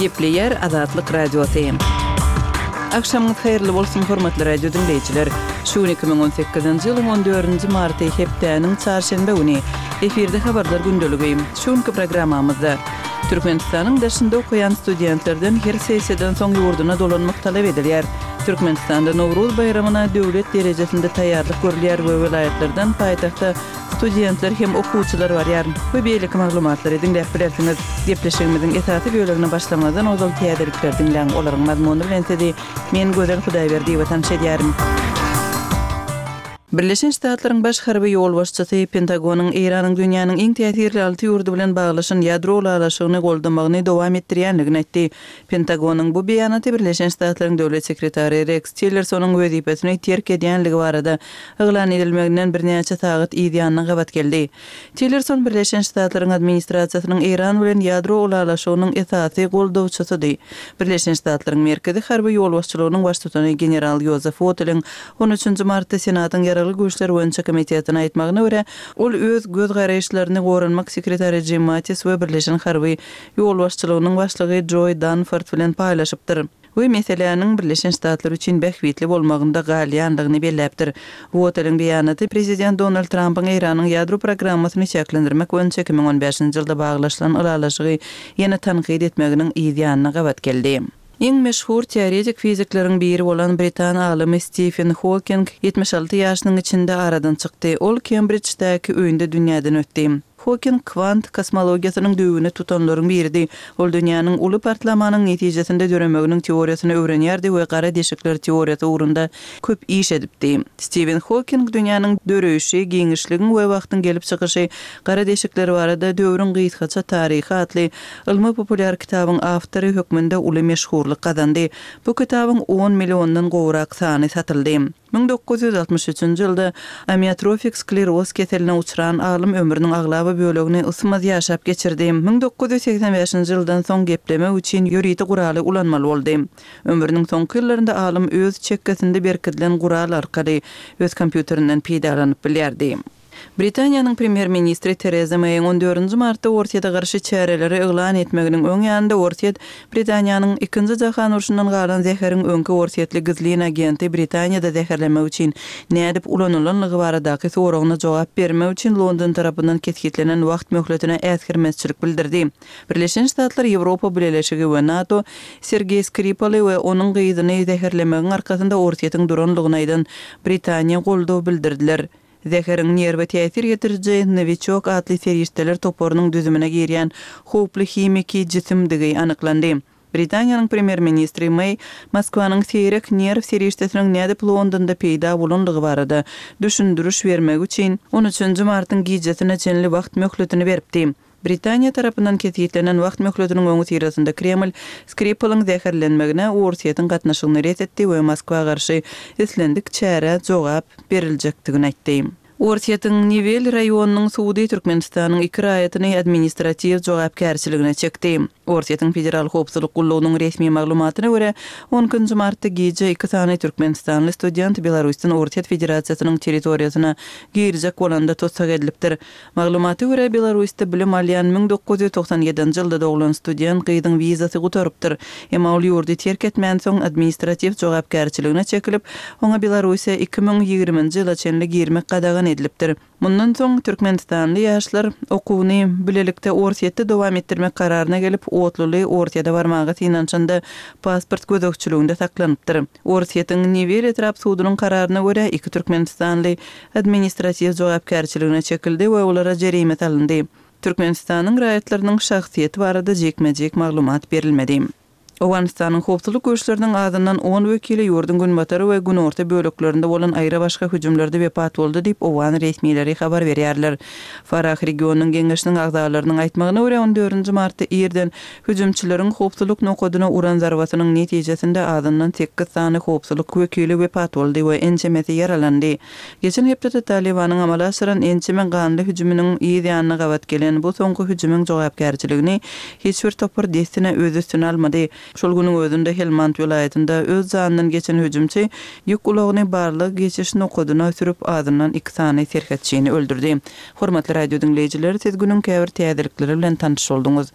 Gepleýär Azatlyk Radiosy. Agşamyňyz haýyrly bolsun, hormatly radio diňleýjiler! Şu gün 2018-nji ýylyň on dördünji marty, hepdäniň çarşenbe güni. Efirde Habarlar gündeligi. Şu günki programmamyzda, Türkmenistanyň daşynda okaýan studentlerden her sessiýadan soň ýurduna dolanmak talap edilýär. Türkmenistanda Nowruz baýramyna döwlet derejesinde taýýarlyk görülýär we welaýatlardan paýtagta studentler hem okuwçylar barýar we beýleki maglumatlary diňläp bilersiňiz. Gepleşigimiziň esasy bölegine başlamazdan ozal täzelikleri diňläň, olaryň mazmuny bilen sizi men Gözel Hudaýberdiýewa tanyş edýärin. Birleşen Ştatlaryň baş harby ýolbaşçysy Pentagonyň Eýranyň dünýäniň iň täsirli alty ýurdy bilen baglaşan ýadro ylalaşygyny goldamagyny dowam etdirýändigini aýtdy. Pentagonyň bu beýanaty Birleşen Ştatlaryň Döwlet sekretary Reks Tillersonyň wezipesini terk edýänligi barada yglan edilmeginden birnäçe sagat yz ýanyna gabat geldi. Tillerson Birleşen Ştatlaryň administrasiýasynyň Eýran bilen ýadro ylalaşygynyň esasy goldawçysydy. Birleşen Ştatlaryň Merkezi harby ýolbaşçylygynyň baştutany general Ýozef Woteliň on üçünji martda Senatyň Ýaragly güýçler boýunça komitetine aýtmagyna görä, ol öz göz garaýyşlaryny goranmak sekretary Jim Mattis we Birleşen harby ýolbaşçylygynyň başlygy Joý Danford bilen paýlaşypdyr we meseläniň Birleşen Ştatlar üçin bähbitli bolmagynda galýandygyny belläpdir. Woteliň beýanaty prezident Donald Trampyň Eýranyň ýadro programmasyny çäklendirmek boýunça 2015-nji ýylda baglaşylan ylalaşygy ýene tankyt etmeginiň yz ýanyna gabat geldi. Iň meşhur teoretik fizikleriň biri bolan britan alymy Stifen Hoking 76 ýaşynyň içinde aradan çykdy. Ol Kembridždäki öýünde dünýäden ötdi. Hoking kwant kosmologiýasynyň düýbüni tutanlaryň biridi. Ol dünýäniň uly partlamanyň netijesinde döremeginiň teoriýasyny öwrenýärdi we gara deşikler teoriýasy ugrunda köp iş edipdi. Stiwen Hoking dünýäniň döreýşi, giňişligiň we wagtyň gelip çykyşy, gara deşikler barada döwrüň gysgaça taryhy atly ylmy-populýar kitabyň awtory hökmünde uly meşhurlyk gazandy. Bu kitabyň on milliondan gowrak sany satyldy. 1963-nji ýylda amiotrofik skleroz keseline uçran alym ömrüniň aglaba bölegini ysmaz ýaşap geçirdi. 1985-nji ýyldan soň geplemek üçin ýörite guraly ulanmaly boldy. Ömrüniň soňky ýyllarynda alym öz çekgesinde berkidilen gural arkaly öz kompýuterinden peýdalanyp bilýärdi. Britaniýanyň premýer-ministri Tereza Meýiň on dördünji martda Orsýete garşy çäreleri yglan etmeginiň öň ýanynda Orsýet Britaniýanyň Ikinji jahan urşundan galan zäheriň öňki orsýetli gizlin agenti Britaniýada zäherlemek üçin nädip ulanylanlygy baradaky soragyna jogap bermek üçin London tarapyndan kesgitlenen wagt möhletine äsgermezçilik bildirdi. Birleşen Ştatlar, Ýewropa Bileleşigi we NATO Sergeý Skripaly we onuň gyzyny zäherlemegiň arkasynda Orsýetiň duranlygyny aýdan Britaniýa goldaw bildirdiler. Zäheriň nerwe täsir ýetiriji Nowiçok atly serişdeler toparynyň düzümine girýän howply himiki jisimdigi anyklandy. Britaniýanyň premýer-ministri Meý Moskwanyň seýrek nerw serişdesiniň nädip Londonda peýda bolandygy barada düşündiriş bermegi üçin on üçünji martyň gijesine çenli wagt möhletini beripdi. Britaniýa tarapyndan kesgitlenen wagt möhletiniň öňüsyrasynda Kreml Skripalyň zäherlenmegine Orsýetiň gatnaşygyny ret etdi we Moskwa garşy islendik çärä jogap beriljekdigini aýtdy. Orsýetiň Newel raýonynyň sudy Türkmenistanyň iki raýatyny administratiw jogapkärçiligine çekdi. Orsýetiň Federal howpsuzlyk gullugynyň resmi maglumatyna görä, on ikinji martda gije iki sany türkmenistanly student Belarusdan Orsýet Federasiýasynyň territoriýasyna girjek bolanda tussag edilipdir. Maglumata görä, Belarusda bilim alýan 1997-nji ýylda doglan student gyzyň wizasy gutarypdyr. Emma ol ýurdy terk etmänsoň, administratiw jogapkärçiligine çekilip, oňa Belarussiýa 2020-nji ýyla çenli girmek gadagan edilipdir. Mundan soň, türkmenistanly ýaşlar okuwyny bilelikde Orsýetde dowam etdirmek kararyna gelip, otluly Orsýete barmaga synanyşanda pasport gözegçiliginde saklanypdyr. Orsýetiň Newel etrap sudunyň kararyna görä, iki türkmenistanly administratiw jogapkärçiligine çekildi we olara jerime salyndy. Türkmenistanyň raýatlarynyň şahsyýeti barada jikme-jik maglumat berilmedi. Owganystanyň howpsuzlyk güýçleriniň azyndan on wekili ýurduň günbatary we günorta böleklerinde bolan aýra-başga hüjümlerde wepat boldy diýip, owgan resmileri habar berýärler. Farah regionynyň geňeşiniň agzalarynyň aýtmagyna görä, on dördünji martda irden Hüjümçileriň howpsuzlyk nokadyna uran zarbasynyň netijesinde azyndan sekiz sany howpsuzlyk wekili wepat boldy we ençemesi ýaralandy. Geçen hepdede Talybanyň amala aşyran ençeme ganly hüjüminiň yz ýanyna gabat gelen bu soňky hüjümiň jogapkärçiligini hiç bir topar dessine öz üstüne almady. Şol günüň özünde Helmand welaýatynda öz janyndan geçen hüjümçi ýük ulagyny barlag-geçiş nokadyna sürüp azyndan iki sany serhetçini öldürdi. Hormatly radio diňleýjiler, siz günüň käbir täzelikleri bilen tanyş bolduňyz.